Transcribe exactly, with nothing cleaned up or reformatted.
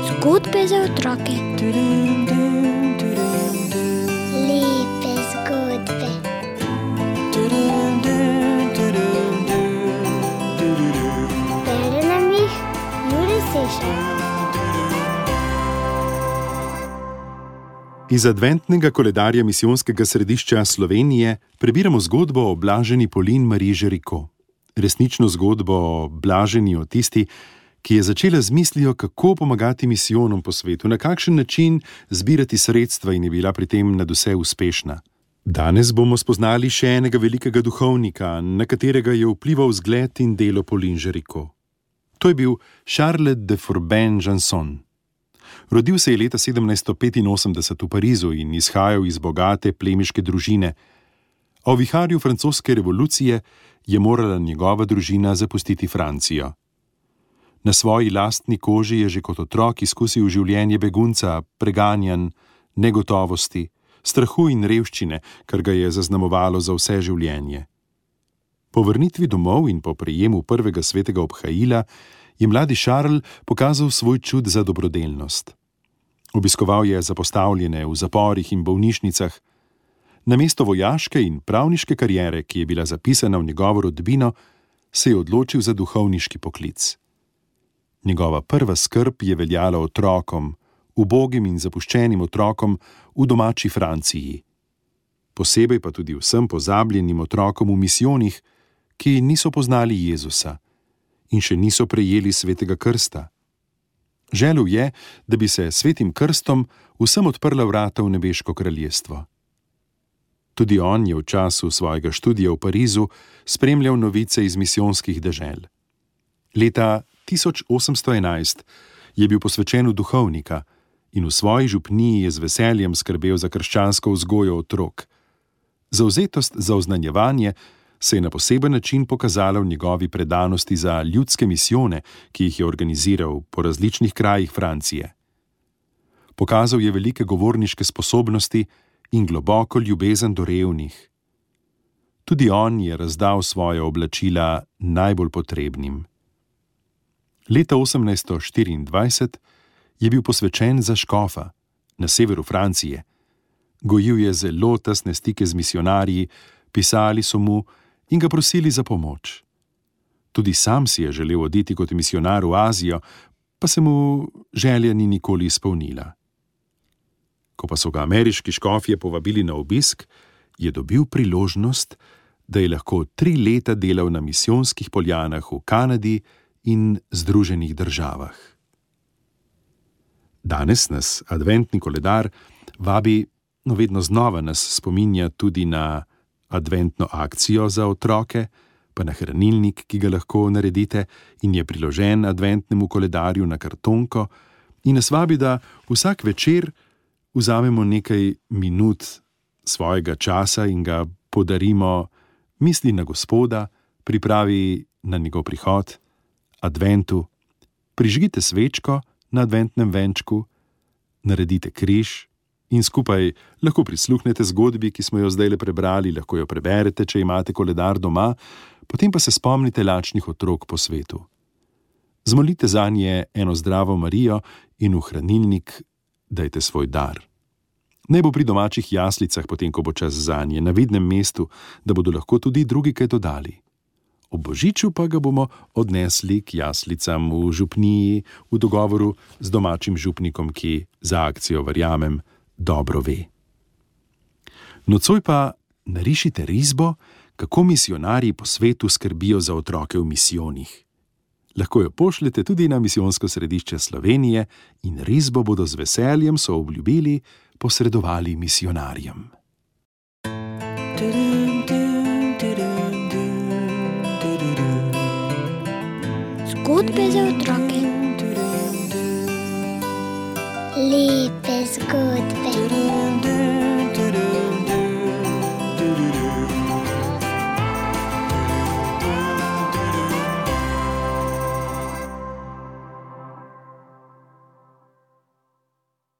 Zgodbe za otroke. Lepe zgodbe. Bere nam jih Jure Sešar. Iz adventnega koledarja Misijonskega središča Slovenije prebiramo zgodbo o blaženi Pauline Marie Géricault. Resnično zgodbo o blaženi o tisti, ki je začela z mislijo, kako pomagati misijonom po svetu, na kakšen način zbirati sredstva in je bila pri tem nadvse uspešna. Danes bomo spoznali še enega velikega duhovnika, na katerega je vplival zgled in delo Pauline Géricault. To je bil Charles de Forbin-Janson. Rodil se je leta sedemnajststo petinosemdeset v Parizu in izhajal iz bogate plemiške družine. O viharju francoske revolucije je morala njegova družina zapustiti Francijo. Na svoji lastni koži je že kot otrok izkusil življenje begunca, preganjanj, negotovosti, strahu in revščine, kar ga je zaznamovalo za vse življenje. Po vrnitvi domov in po prejemu prvega svetega obhajila je mladi Charles pokazal svoj čud za dobrodelnost. Obiskoval je zapostavljene v zaporih in bolnišnicah. Namesto vojaške in pravniške kariere, ki je bila zapisana v njegovo rodbino, se je odločil za duhovniški poklic. Njegova prva skrb je veljala otrokom, ubogim in zapuščenim otrokom v domači Franciji. Posebej pa tudi vsem pozabljenim otrokom v misijonih, ki niso poznali Jezusa in še niso prejeli svetega krsta. Želel je, da bi se svetim krstom vsem odprla vrata v nebeško kraljestvo. Tudi on je v času svojega študija v Parizu spremljal novice iz misijonskih dežel. Leta tisoč osemsto enajst je bil posvečen v duhovnika in v svoji župniji je z veseljem skrbel za krščansko vzgojo otrok. Zavzetost za oznanjevanje se je na poseben način pokazala v njegovi predanosti za ljudske misijone, ki jih je organiziral po različnih krajih Francije. Pokazal je velike govorniške sposobnosti in globoko ljubezen do revnih. Tudi on je razdal svoje oblačila najbolj potrebnim. Leta osemnajststo štiriindvajset je bil posvečen za škofa na severu Francije. Gojil je zelo tesne stike z misijonarji, pisali so mu in ga prosili za pomoč. Tudi sam si je želel oditi kot misijonar v Azijo, pa se mu želja ni nikoli izpolnila. Ko pa so ga ameriški škofje povabili na obisk, je dobil priložnost, da je lahko tri leta delal na misijonskih poljanah v Kanadi in Združenih državah. Danes nas adventni koledar vabi, no vedno znova nas spominja tudi na adventno akcijo za otroke, pa na hranilnik, ki ga lahko naredite in je priložen adventnemu koledarju na kartonko, in nas vabi, da vsak večer vzamemo nekaj minut svojega časa in ga podarimo misli na Gospoda, pripravi na njegov prihod, adventu, prižgite svečko na adventnem venčku, naredite križ in skupaj lahko prisluhnete zgodbi, ki smo jo zdajle prebrali, lahko jo preberete, če imate koledar doma, potem pa se spomnite lačnih otrok po svetu. Zmolite zanje eno zdravo Marijo in v hranilnik dajte svoj dar. Naj bo pri domačih jaslicah, potem ko bo čas zanje, na vidnem mestu, da bodo lahko tudi drugi kaj dodali. Ob božiču pa ga bomo odnesli k jaslicam v župniji v dogovoru z domačim župnikom, ki za akcijo, verjamem, dobro ve. Nocoj pa narišite risbo, kako misijonarji po svetu skrbijo za otroke v misijonih. Lahko jo pošljete tudi na Misijonsko središče Slovenije in risbo bodo z veseljem, so obljubili, posredovali misijonarjem. Zgodbe za otroke. Lepe zgodbe.